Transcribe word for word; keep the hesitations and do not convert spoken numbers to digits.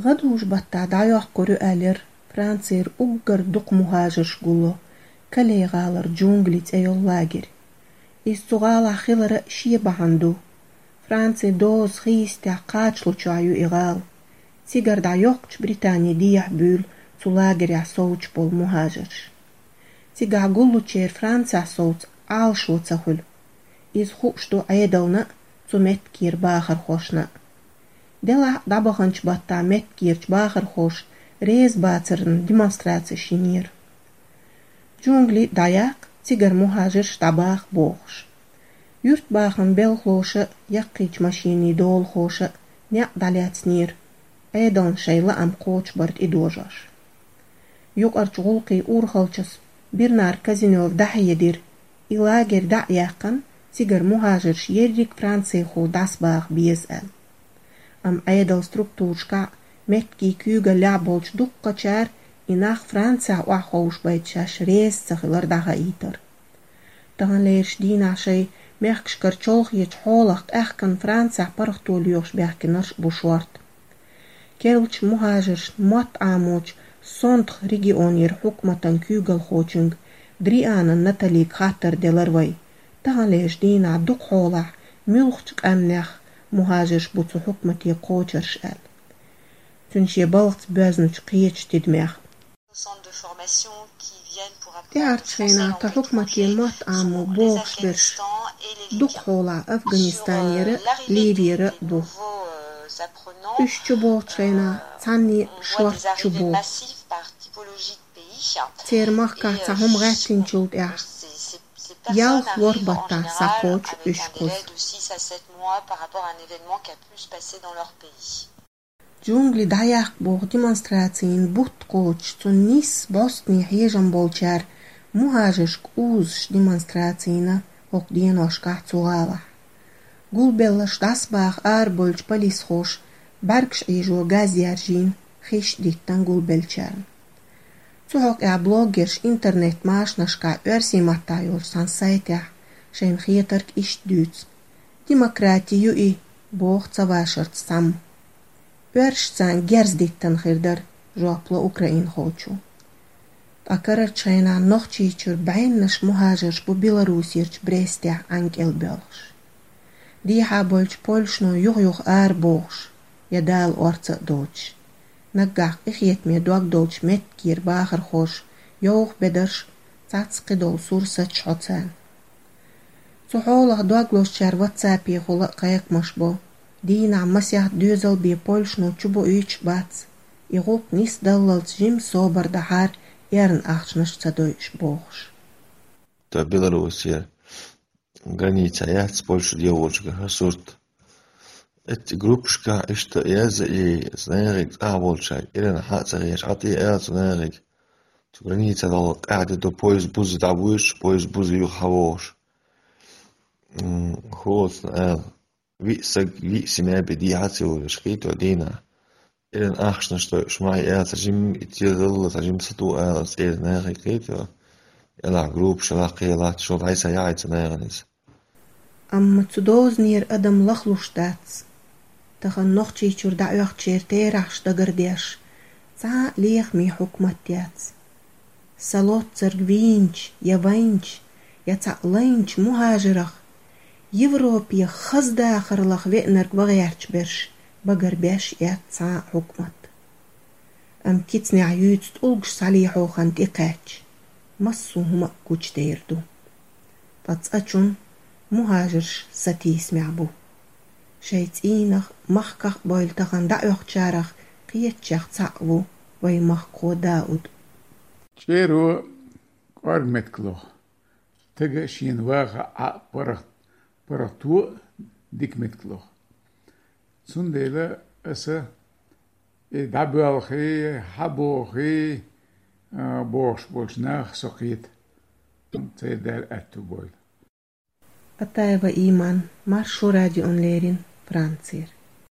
ГӀадужу баттахь дӀайоккхур ю аьлла яра Францера уггар дукха мухӀажарш гулло Кале-гӀалара «Джунгли» цӀе йолу лагерь. Иза цу гӀалахь хиларан шен бахьана ду. Францин доза хийцатехь кхачалучохь ю и гӀала. Цигара дӀайоккхучу Британин дехьа буьйлу цу лагерехь совцуш болу мухӀажарш. Цигахь гуллучеран Францехь совца Ӏалашо ца хуьлу. Иза хууш ду Ӏедална а, цу меттигера бахархошна а. Делахь а дӀабаханчу баттахь меттигерчу бахархоша реза бацарна демонстрацеш йинера. «Джунгли» дӀаяккха, цигара мухӀажарш дӀабаха бохуш. Юьртбахаман белхалоша а, яккхийчу машенийн долахоша а некъ дӀалаьцнера, Ӏедална шайн лаам кхочушбар тӀедожош. Юкъарчу гӀуллакхийн урхалчас Бернар Казинёва дӀахьедира, и лагерь дӀа а яьккхина, цигара мухӀажарш ерриг Францехула дӀасабаха беза аьлла. Амма Ӏедалан структурашкахь а, меттигийн куьйгаллехь а болчу дуккхачара и нах Францехь охьаховшабайта шаьш реза ца хилар дӀахаийтира. Таханлерчу дийнахь шайн мехкашкара чолхечу хьолах къаьхкина Францехь паргӀато лоьхуш баьхкинарш а бу шорта. Керлачу мухӀажаршна мотт Ӏамочу Сонтху регионера хьукматан куьйгалхочуьнга Дрианан Наталига хаттар делира вай, таханлерчу дийнахь дукха хьолахь муьлхачу къаьмнех мухӀажарш бу цу хьукмате кхочарш аьлла. Цуьнан шен балхаца боьзначу кхечу тидамех. ТӀаьхьарчу хенахь тхан хьукмате мотт Ӏамо бохуш берш дукха хьолахь Афганистанера а, Ливера а бу. Уьш чу бохучу хенахь цхьанне шорта чу боху. Церан махкахь цхьа хӀума гӀаьттинчул тӀаьхьа ялх-ворхӀ баттахь схьакхочу уьш кхуза. «Джунгли» дӀаяккха боху демонстрацина бутт кхочуш, цунна нисса бӀостанехьа хьежам болчара мухӀажаршка узуш демонстрацина хӀокху деношкахь цу гӀалахь. Гулбелларш дӀасабаха арабевллачу полисхоша бӀаьргаш Ӏийжо газ яржийна, хиш а диттина гулбеллачарна. Цу хьокъехь блогерша интернет-машанашкахь оьрсийн маттахь йолчу цхьана сайтехь шайна хетарг иштта дуьйцу: «Демократи ю и», — боху ца вашарца цхьамма. «Оьрсаша царна герз диттина хир дара», — жоп ло украинхочо. Ткъа карарчу хенахь Нохчийчуьра бӀеннаш мухӀажарш бу Белоруссерчу Брестехь ӀаьнкӀел боьлхуш. Дехьа болчу польшано юха-юха арабохуш, я Дала орца а доцуш. Наггахь къинхетаме дог долчу меттигера бахархоша йовха бедарш, цхьацца кхидолу сур саччахьо царна. Цу хьолах дог лозучара ватсапехула а кхайкхамаш бо. Дийнахь масех доьзал бен польшано чубоуьйтуш бац, и гӀуллакх нисдаллалц жимма собар дахьара эрна ахчанаш ца дойуш бохуш. Та Белоруссия граница яц Польша дегӀочуьнга хӀара сурт. Эццу группашкахь иштта яза и, цу нахе цӀахь болчаьрга ирана хьа а ца гӀерташ, хьа тӀе аьлла цу нахе, цу граница дӀа къаьхьа де до, поезд буза дӀавуьйцуш, поезд буза юха хьавогӀуш. М, хӀоцна аьлла, виъ саг, виъ семья бен дехьа ца йолуш, кхийто дийнахь. Ирана ахчанаш дойуш, ма хьи аьлла, цхьа жимма и тезалла, цхьа жимма сату ала, цӀера нахе кхийто. Ялахь группаш, ялахь кхин латта, шо дӀай ца яхьийца нахана иза. Амма цу дозанера адам лахлуш дац. Тахана Нохчийчуьра дӀаоьхучеран терахьаш дагардеш, цхьа а лехаме хьукмат яц. Сан лоццарг вийначу, я вайначу, я цхьаъ лайначу мухӀажарах, Европе хаза дахараллах веанарг ван гӀерташ берш багарбеш яц цхьа а хьукмат. Амма кицанехь юьйцу тӀулгаш схьалехьо хан тӀекхаьчча, массо а хӀума а гучудер ду. Ткъа цкъачунна мухӀажарш сатийсамехь бу. Шайн цӀийнах, махках а бевлла тахана дӀаоьхучарах кхечех цхьаъ ву вайн махкахо Дауд. ЧӀеро кӀорга меттиг лоху. Тага шена ваха Ӏа паргӀат-, паргӀато а дика меттиг лоху. Цундела аса и дӀабоьлхий, хьабохий, а, бохуш болчу наха со кхета. Церан Дала аьтту бойла. Атаева Иман, Маршо радион леррина, Францера.